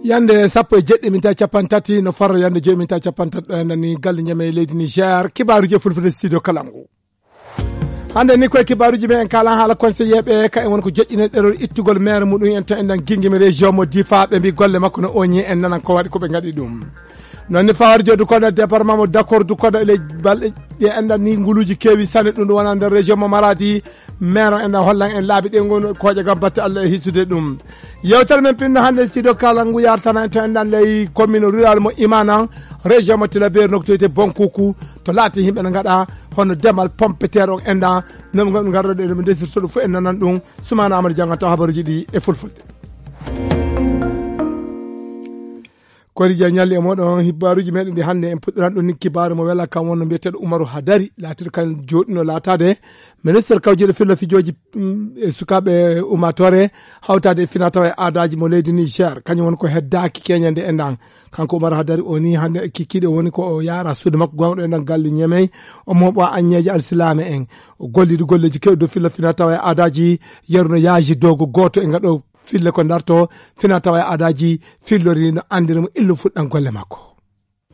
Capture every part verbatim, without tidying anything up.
Yande sappo e jeɗɗi minta capanɗe tati, no farra yande joyi minta capanɗe tati, ɗo enɗan ni galle ñame e leydi Niger. Kibaaruuji e fulfulde studio Kalangu. Hannde ni koye kibaaruuji men en kaalan haala conseiller ɓe, ka en woni ko joƴƴinee ɗerol ittugol maire muɗum en to enɗan Gingimi région mo Difa, ɓe mbi golle makko no oñi, en nanan ko waɗi ko ɓe ngaɗi ɗum. Noon ni fawar jooɗi kono département mo Dakor du kono e ley balɗe ɗe enɗan ni nguluuji keewi sanne ɗum ɗum wona nder région mo Maradi. Maire o enɗan hollan en laabi ɗe ngon kooƴe gam batte Allah e hisude ɗum. Yewtere men pinno hannde studio Kalangu yartana en to enɗan ley commune rural mo Imana, région mo Tilaberi, nokku to wiyetee Bonkuku, to laati yimɓe no ngaɗa hono demal pomme de terre on enɗan, no ɓe ngarɗo ɗe, no ɓe ndesirta ɗum fof en nanan ɗum. Soumana Amadou Dieng taw habaruuji ɗi e fulfulde. Kori Dia ñalli e moɗon hibbaaruuji meɗen ɗi hannde en puɗɗiran ɗum ni kibaaru mo wela kam wonno mbiyeteeɗo Umaru Hadari, laatiiɗo kan jooɗino laataade ministre kawjeeɗo filla fijooji, mm, e sukaaɓe ummaatoore hawtaade e finaa tawa e aadaaji mo leydi Niger. Kañum woni ko heddaaki keñande e ndan. Kanko Umaru Hadari o ni hannde e kikiiɗe woni ko o yaara suudu makko gonɗo e ndan gallu ñemey, o mooɓo aññeeje alsilaame en. O golliiɗo golleeji keewɗi dow filla finaa tawa e aadaaji, yeru no yaaji dogo gooto e ngaɗo fille ko darto, finaa tawa e aadaaji fillori no anndiri mo illu fuɗɗan golle makko.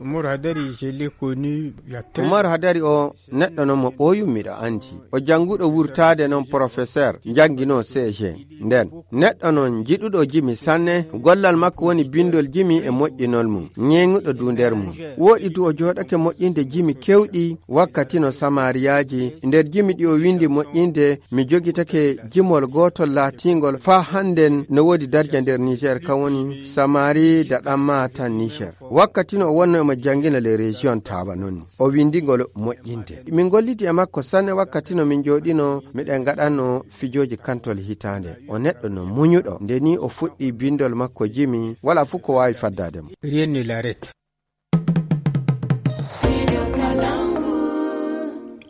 Umaru Hadari, je l'ai connu il y a très Umaru Hadari o neɗɗo noon mo ɓooyum miɗo anndi. O jannguɗo wurtaade noon professeur, njannginoo C G. Nden, neɗɗo noon jiɗuɗo jimi sanne, gollal makko woni binndol jimi e moƴƴinol mum, ñeeŋuɗo du nder mum. Wooɗi du o jooɗake moƴƴinde jimi keewɗi, wakkati no samariyaaji, nder jimi ɗi o winndi moƴƴinde, mi jogitake jimol gootol laatiingol faa hannden no woodi darja nder Niger, kan woni Samari da ɗan maatan Niger. Wakkati no o wonno emo janngina les régions tawa noon ni. O winndi ngol moƴƴinde. Min golliti e makko sanne wakkati no min jooɗino, miɗen ngaɗanno fijooji kantol hitaande. O neɗɗo no muñuɗo. Nde ni o fuɗɗi binndol makko jimi, wala fof ko waawi faddaade mo. Rien ne l'arrête.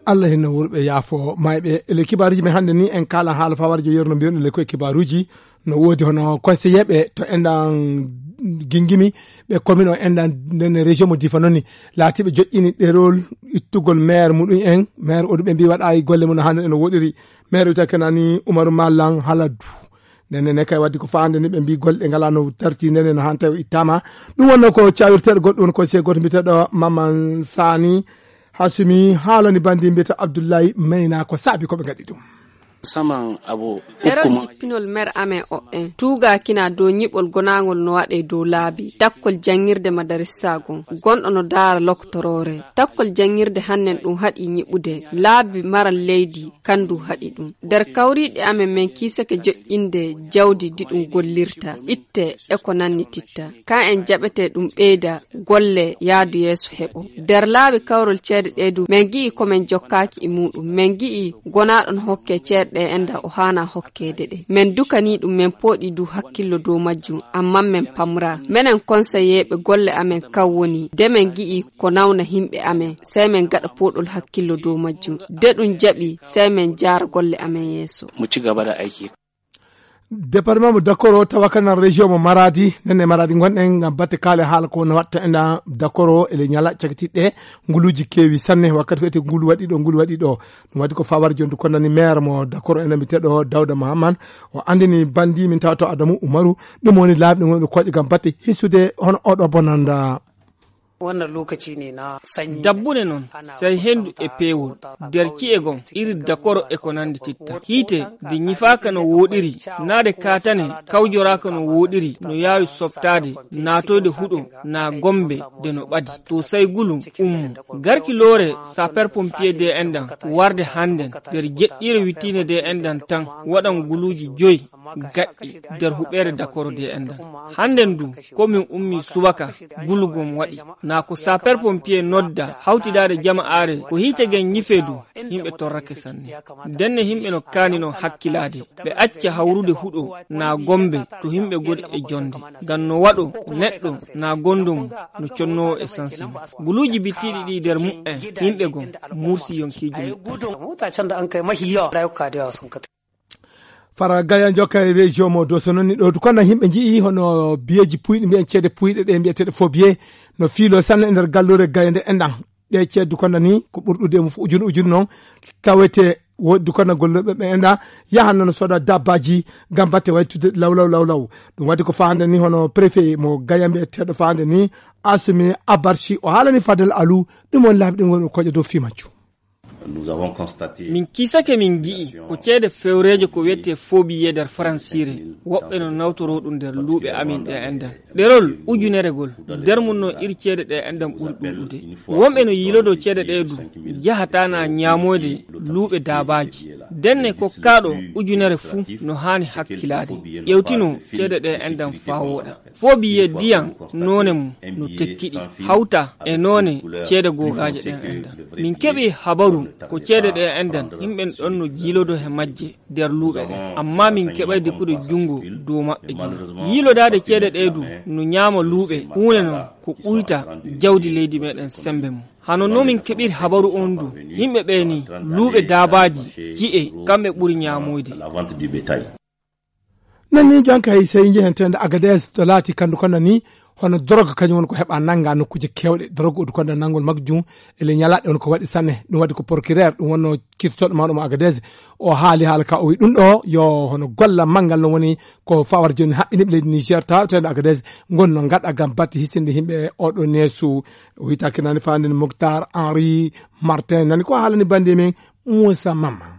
Allah hinno wurɓe yaafo mayɓe. E le kibaaruuji men hannde ni en kaala haala fawarjo yerno mbiyon le koye kibaaruuji. No woodi hono conseiller ɓe to enɗan Gingimi, ɓe commune o enɗan nden région mo Difa noon ni, laatiiɓe joƴƴini ɗerol ittugol maire muɗum en, maire o du ɓe mbi waɗa e golle mum no hannde no woɗiri. Maire wiyata kenani Umaru Mallan Haladu. Nden ne kay waddi ko faande ni ɓe mbi golle ɗe ngala no darti nden ne no hanta o ittama. Ɗum wonno ko cawirteɗo goɗɗo woni conseiller goto mbiyeteɗo Maman Sani Hasumi haalani bandi mbiyeteɗo Abdullahi Mayna ko saabi ko ɓe ngaɗi ɗum. Saman abo Ɗerol hukkuma. Jippinol mer amen o en tuugakina dow ñiɓol gonaangol no waɗe dow laabi takkol janngirde madarissa gon gonɗo no daara loktoroore. Takkol janngirde hannen ɗum haɗi ñiɓude laabi maral leydi kandu haɗi ɗum. Nder kawriiɗe amen men kiisake joƴƴinde jawdi di ɗum gollirta, itte e ko nannititta. Ka en jaɓete ɗum ɓeyda golle yaadu yeeso heɓo. Nder laabi kawrol ceede ɗe du, men gi'i ko men jokkaaki e muɗum. Men gi'i gonaaɗo no hokke ceede ɗe enda o haana hokkeede ɗe. Men dukani ɗum, men pooɗi du hakkillo dow majjum, amman men pamra. Menen konseyeeɓe golle amen kan woni, de men gi'i ko nawna himɓe amen, sey men gaɗa pooɗol hakkillo dow majjum. De ɗum jaɓi, sey men jaara golle amen yeeso. Mu ci gaba da aiki. Département mo Dakoro tawa kanan région mo Maradi, nden e Maradi ngonɗen ngam batte kaale haala ko no watta enda Dakoro e le ñala cakitiɗɗe nguluuji keewi sanne wakkati feete ngulu waɗi ɗo, ngulu waɗi ɗo. Ɗum waɗi ko fawar jondu ko nani maire mo Dakoro ena mbiyeteɗo Dawda Mahaman. O andini bandi min tawto Adamu Umaru. Ɗum woni laabi ɗum woni koƴe ngam batte hisude hono oɗo bonanda. Wannan lokaci ne na sanyi. Dabbune noon, sey henndu e peewol, nder ci'e gom, iri dakoro e ko nanndi titta. Hiite, nde ñifaaka no wooɗiri, naa nde kaatane kawjoraaka no wooɗiri, no yaawi softaade, naatoyde huɗo, naa gombe, nde no ɓadi. To sey gulu ummo. Garki loore, sapeur pompier de endan, warde hannden, nder jeɗɗiire wittiinde de endan tan, waɗan guluuji joy. Gaɗɗi nder huɓeere dakoro de endan. Hannden du, ko min ummi subaka, gulugom waɗi. Naa ko sapeur pompier nodda, hawtidaade jama'aare, ko hiite gen ñifee du, yimɓe torrake sanne. Ndenne yimɓe no kaani non hakkilaade, ɓe acca hawrude huɗo, naa gombe, to yimɓe goni e jonde. Ngam no waɗo, neɗɗo, naa gondo mum, no connoowo e sanse mum. Guluuji bittiiɗi ɗi nder mu'en, yimɓe gon, mursi yonkiiji mu'en. Fara Gaya jokka e région mo Doso noon ni ɗo du kono yimɓe nji'i hono biyeeji puyɗi mbiyen ceede puyɗe ɗe mbiyeteeɗe faux billets no fiilo sanne e nder galluure Gaya nde enɗan. Ɗe ceeddu kono ni ko ɓurɗude e mum fof ujune ujune noon tawete woodi dukanna gollooɓe ɓe enɗa yahan noon sooda dabbaaji ngam batte waytude law law law law. Ɗum waɗi ko faande ni hono préfet mo Gaya mbiyeteeɗo faande ni Asimi Abarci o haalani Fadel Alu ɗum woni laabi ɗum woni o koƴa dow fii majjum. Min kiisake min ngi'i ko ceede fewreeje ko wiyetee foobiye nder faransiire. Woɓɓe no nawtoroo ɗum nder luuɓe amin ɗe enɗan. Ɗerol ujuneregol nder mum no iri ceede ɗe enɗan ɓuri ɗuuɗude. Wonɓe no yiilodoo ceede ɗe du njahataa na ñaamoyde luuɓe daabaaji. Ndenne kokkaaɗo ujunere fuu no haani hakkilaade. Ƴewtinoo ceede ɗe enɗan faa wooɗa. Foobiye diyan noone mum no tekkiɗi hawta e noone ceede googaaje ɗen enɗan. Min keɓi habaru ko ceede ɗe enɗan yimɓen ɗon no jiilodo he majje nder luuɓe ɗen. Amma min keɓay dikude junngo dow maɓɓe gila. Yiilodaade ceede ɗe du no ñaama luuɓe huunde non ko ɓuyta jawdi leydi meɗen sembe mum. Hano no min keɓiri habaru on du, yimɓe ɓe ni luuɓe daabaaji ci'e kamɓe ɓuri ñaamoyde. Nan ni jonka hay sey njehen tende Agadez to laati kandu kono ni hono drogue kañum woni ko heɓa nanga nokkuuje kewɗe drogue udu kono nangol majjum ele ñalaɗe on ko waɗi sanne. Ɗum waɗi ko procureur ɗum wonno kirtoɗo mawɗo mo Agadez o haali haala ka o wi ɗum ɗo yo hono golla manngal no woni ko fawar joni haɓɓiniɓe leydi Niger taw tende Agadez ngon no gaɗa gam batte hisinde yimɓe oɗo neesu. O wiyta kinani fanden Moctar Henri Martin nani ko haalani bandi men Moussa Mama.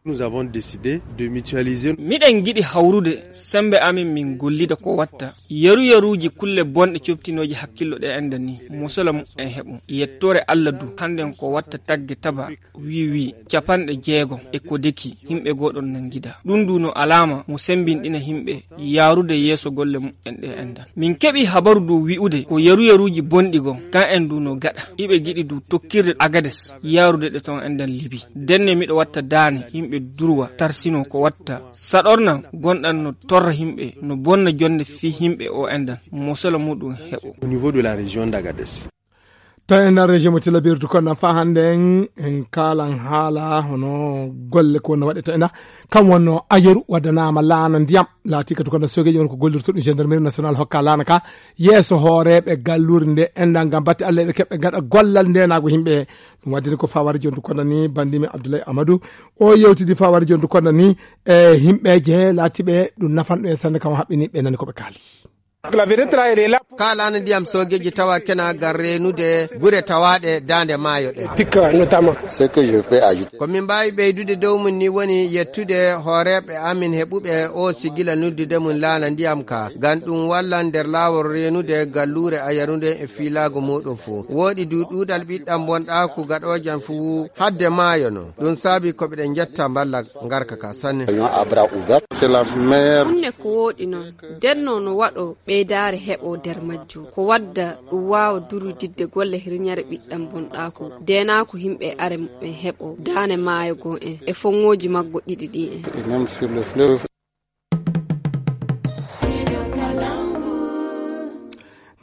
Nous avons décidé de mutualiser. Miɗen ngiɗi hawrude sembe amin min gollida ko watta yeru yeruuji kulle bonɗe coftinooji hakkillo ɗe enda ni mosola mumen heɓo. Yettoore Allah du hannden ko watta tagge taba wiwi capanɗe jeego e ko deki yimɓe goɗon nangida ɗum du no alaama mo sembinɗina yimɓe yaarude yeeso golle mumen ɗe endan. Min keɓi habaru du wi'ude ko yeru yeruuji bonɗi goo kan en du no gaɗa iɓe giɗi du tokkirde Agades yaarude ɗe ton endan Libi. Ndenne miɗo watta daane yimɓe durwa tarsino ko watta saɗornan gonɗan no torra yimɓe no bonna jonde fii yimɓe o endan mosola muɗum heɓo. Au niveau de la région d'Agadez. To e nder région mo tilabirdu kono fa hannde en en kaalan haala hono golle ko no waɗete ena kam wonno ayeru waddanaama laana ndiyam laati kadi kono sogeji on ko gollirto ɗum gendarmerie national hokka laana ka yeeso hooreɓe gallure nde enɗan ngam batte allah eɓe keɓɓe gaɗa gollal ndenago yimɓe. Ɗum waddini ko fawari jondu kono ni bandimi abdoulaye amadou o yewtidi fawari jondu kono ni e yimɓeje laatiɓe ɗum nafanɗo e sannde kam haɓɓini ɓe nani koɓe kaali. Ka laana ndiyam soogeeji tawa kena gar reenude gure tawaaɗe daande maayo ɗe. Tikka notamment. Ce que je peux ajouter. Ko min mbaawi ɓeydude dow mum ni woni yettude hooreeɓe amin heɓuɓe o sigila noddude mum laana ndiyam ka. Ngam ɗum walla nder laawol reenude galluure ayarude e fiilaago muuɗum fuu. Wooɗi du ɗuuɗal ɓiɗɗam bonɗaaku gaɗoojan fuu hadde maayo no. Ɗum saabi ko ɓeɗen njetta mballa ngarka ka sanne. C'est la meilleure. Kunne ko wooɗi noon. Ndennoo no waɗoo ɓeydaare heɓoo nder majjum. Ko wadda ɗum waawa durudidde golle hirñare ɓiɗɗam bonɗaaku, deenaaku yimɓe e are muɓɓen heɓoo, daane maayo goo en, e foŋŋooji maggo ɗiɗi ɗii en. Et même sur le fleuve.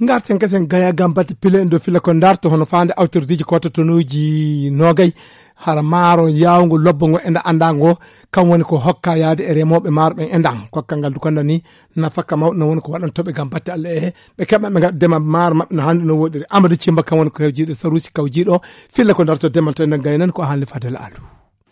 Ngarten kesen gaya gam batte pile en dow fila ko darto hono faande awtordiiji kototonuuji noogay hara maaro yaawgo lobbo ngo enda annda ngo kam woni ko hokka yaade e remooɓe maaro ɓen endan kokkal ngal dukanda ni nafaka mawɗo no woni ko waɗantoɓe gam batte allah e ɓe keɓa ɓe gaɗa demal maaro maɓɓe no hannde no woɗiri amadou cimba kam woni ko hewjiiɗo sarusi kawjiiɗo filla ko darto demal to enden gaynani ko haalni fadel alu.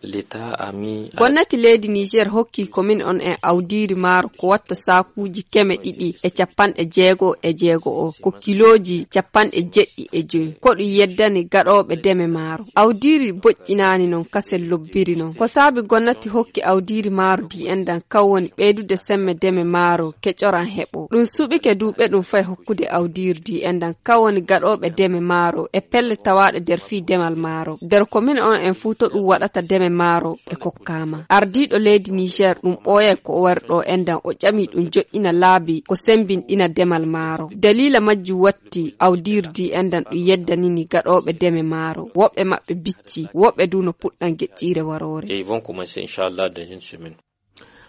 L'état a mis. Gomnati leydi niger hokki komin on en awdiiri maaro ko watta saakuuji keme ɗiɗi e capanɗe jeego e jeego o ko kilooji capanɗe jeɗɗi e joyi ko ɗum yeddani gaɗooɓe deme maaro. Awdiiri boƴƴinaani noon kasen lobbiri noon ko saabi gomnati hokki awdiiri maaro di endan kan woni ɓeydude semme deme maaro keƴoran heɓo ɗum suɓike duuɓe ɗum fay hokkude awdiiri di endan kan woni gaɗooɓe deme maaro e pelle tawaaɗe nder fii demal maaro nder komin on en fuu to ɗum waɗata deme maaro ɓe kokkaama. Ardiiɗo leydi niger ɗum ɓooyay ko o wari ɗo endan o ƴami ɗum joɗɗina laabi ko sembinɗina demal maaro daliila majjum watti awdiiri di endan ɗum yeddanini gaɗooɓe deme maaro woɓɓe maɓɓe bicci woɓɓe du no puɗɗan geƴƴiire waroore. Et ils vont commencer inchallah dans une semaine.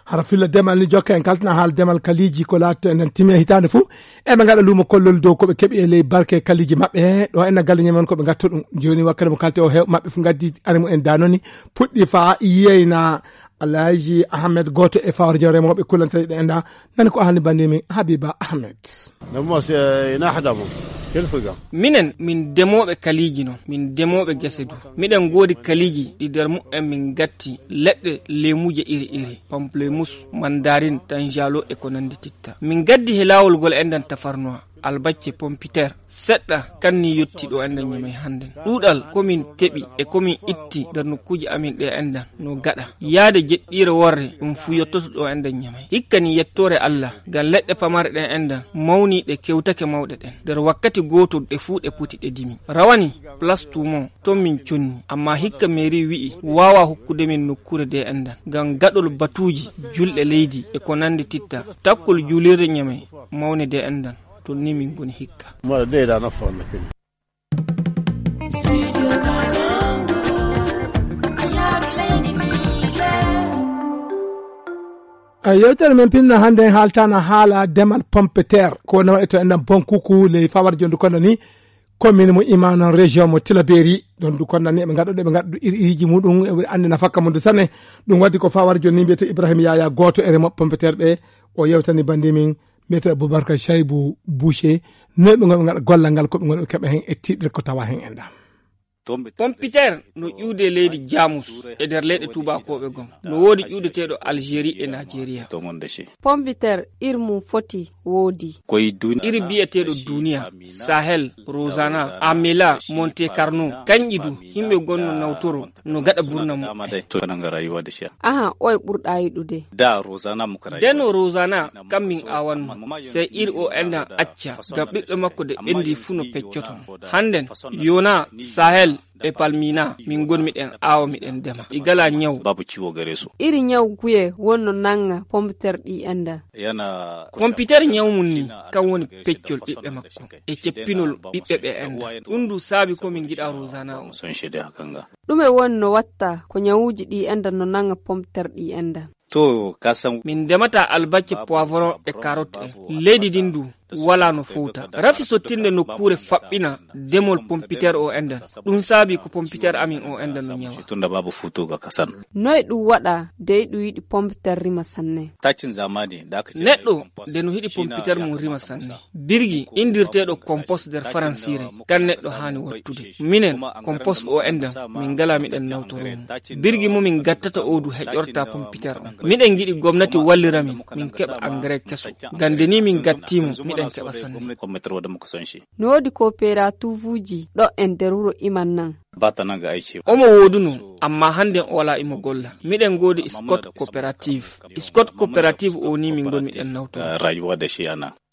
Hara filla demal ni jokka en kaltana haala demal kaliiji ko laatto enen timi e hitaande fof eɓe ngaɗa luumo kollol dow koɓe keɓi e ley barke kaliiji maɓɓe ɗo enna galle ñamen koɓe ngatto ɗum. Joni wakkati mo kalte o hew maɓɓe fof gaddi ari mo en danoni puɗɗi fa yeyna alhaji ahmed goto e fawre jom remoɓe kullantare ɗe enda nani ko ahani bandimi habiba ahmed. Namo se ina hadamo. Minen, min demooɓe kaliiji non, min demooɓe gese du. Miɗen ngoodi kaliiji ɗi nder mumen min gatti leɗɗe leemuuje iri iri, pamplemousse, mandarin, tanjalo e ko nanndi titta. Min gaddi he laawol ngol enɗan tafarnuwa, albacce, pompiteer, seɗɗa, kanni yotti ɗo enɗan Ñamey hannden. Ɗuuɗal ko min keɓi e ko min itti nder nokkuuji amin ɗe enɗan no gaɗa. Yaade jeɗɗiire worre ɗum fuu yottoto ɗo enɗan Ñamey. Hikka ni yettoore Allah, ngam leɗɗe pamare ɗen enɗan mawni ɗe kewtake mawɗe ɗen. Nder wakkati gootol ɗe fuu ɗe poti ɗe dimi. Rawani, Place Toumont, ton min conni. Ammaa hikka mairie wi'i waawa hokkude min nokkuure de enɗan. Ngam gaɗol batuuji, julɗe leydi e ko nanndi titta. Takkol juulirde Ñamey, mawne de enɗan. Ton ni min ngoni hikka. Mara de da na fa na kin. A yewtere men pinno hannde en haaltana haala demal pompeter ko wona waɗe to enɗan bonkuku ley fawar jondu kono ni commune mo imana région mo tilaberi ɗon du kono ni eɓe ngaɗa ɗo ɓe ngaɗa iri iriji muɗum eɓe anndi nafakka mum du sanne. Ɗum waddi ko fawar joni ni mbiyete ibrahima yaya gooto e remoɓe pompeter ɓe o yewtani bandi min mbiyete aboubacar chaybu boucher. Noy ɓe gonɓe ngaɗa gollal ngal ko ɓe gonɓe keɓa hen e tiɗɗere ko tawa hen enɗan. Pompiter no ƴuwde leydi Jamus e nder leyɗe tuubakooɓe gom. No woodi ƴuwdeteeɗo Algérie e Nigeria. Pompiter iri mum foti woodi. Iri biyeteeɗo Duniya, Sahel, Rosana, Amela, Monte Carlo, kanƴi du, yimɓe gonno nawtoro no gaɗa burna muɓɓen. Aha, oye ɓurɗa yiɗude? Ndeno Rosana, kam min awanno. Sey iri o enɗan acca, ngam ɓiɓɓe makko de ɓendi fuu no peccoto. Hannden, Yona, Sahel, e Palmina, min ngoni miɗen aawa, miɗen dema. Ɗi gala ñaw. Iri ñaw guye wonno nanga pompiter ɗi enɗan? Pompiter ñaw mum ni, kan woni peccol ɓiɓɓe makko. E ceppinol ɓiɓɓe ɓe enɗan. Ɗum du saabi ko min ngiɗa Rosana o. Ɗume woni no watta ko ñawuuji ɗi enɗan no nanga pompiter ɗi enɗan? To, ka san. Min ndemata albacce, poivron e carotte en. Leydi ndin du wala no fowta. Rafi sottinde nokkuure faɓɓina demol pompiter o enɗan. Ɗum saabi ko pompiter amin o enɗan no ñawa. Tunda babu futu ga kasan. Noy ɗum waɗa dey ɗum yiɗi pompiter rima sanne? Tacin zamani da aka ce. Neɗɗo de no hiɗi pompiter mum rima sanne. Birgi indirteeɗo compost nder faransiire, kan neɗɗo haani wattude. Minen, compost o enɗan, min ngala miɗen nawtoro mo. Birgi mo min gattata o du heƴorta pompiter on. Miɗen ngiɗi gomnati wallira min, min keɓa engrais keso. Ngam de ni min gatti mo, miɗen keɓa sanne. No woodi kooperatiivuuji ɗo en nder wuro Iman nan? Omo wooduno, amma hannden o wala imo golla. Miɗen ngoodi Scott Coopérative. Scott Coopérative o ni min ngoni miɗen nawtoro.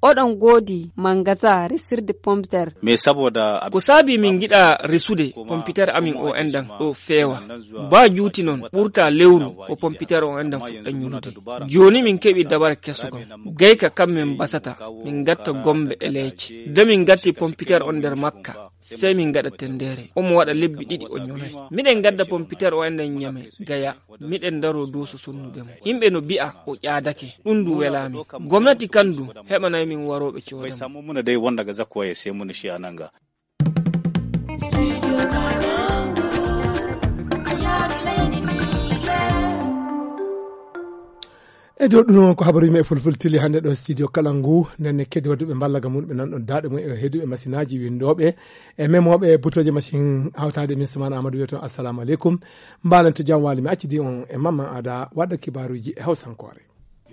Oɗon ngoodi mangasa resirde pompiter? Ko saabi min ngiɗa resude pompiter amin o enɗan ɗo feewa. Ba juuti non ɓurta lewru ko pompiter o enɗan fuɗɗa ñulude. Jooni min keɓi dabare keso gom. Gayka kam min basata, min ngatta gombe e leece. De min ngatti pompiter on nder makka. Sey min ngaɗa tendere. Omo waɗa lebbi ɗiɗi o ñolay. Miɗen ngadda pompiter o enɗan Ñamey, Gaya. Miɗen ndaro dow so sonnude mo. Yimɓe no bi'a o ƴaadake. Ɗum ndu welaami. Gomnati kan du heɓanay min warooɓe cooda mo. Ɓay sammo muna dey wonda ga zakko e sey muna shi a nanga. E dow ɗum noon ko habaru yimɓe e fulfulde tili hannde ɗo studio kala ngu. Nden ne keddi waɗuɓe mballaga mum ɓe nan ɗon daaɗe mum e heeduɓe masinaaji winndooɓe e memooɓe butooje machine hawtaade min Soumana Amadou wiya toon assalamu aleykum. Mbaalanto jam waali mi accidi on e Mamman Ada waɗa kibaaruuji e hawsankoore.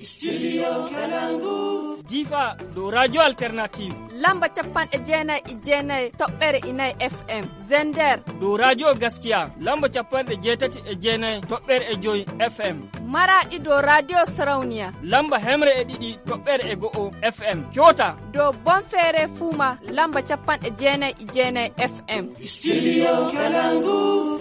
Studio Kalangu. Difa dow radio alternative. Lamba capanɗe jeenayi e jeenayi toɓɓere inayi F M. Zender. Dow radio Gaskiya lamba capanɗe jeetati e jeenayi toɓɓere e joyi F M. Maraɗi dow radio Sarauniya. Lamba hemre e ɗiɗi toɓɓere e go'o F M. Coota. Dow Bonfere Fuma lamba capanɗe jeenayi e jeenayi F M. Studio Kalangu.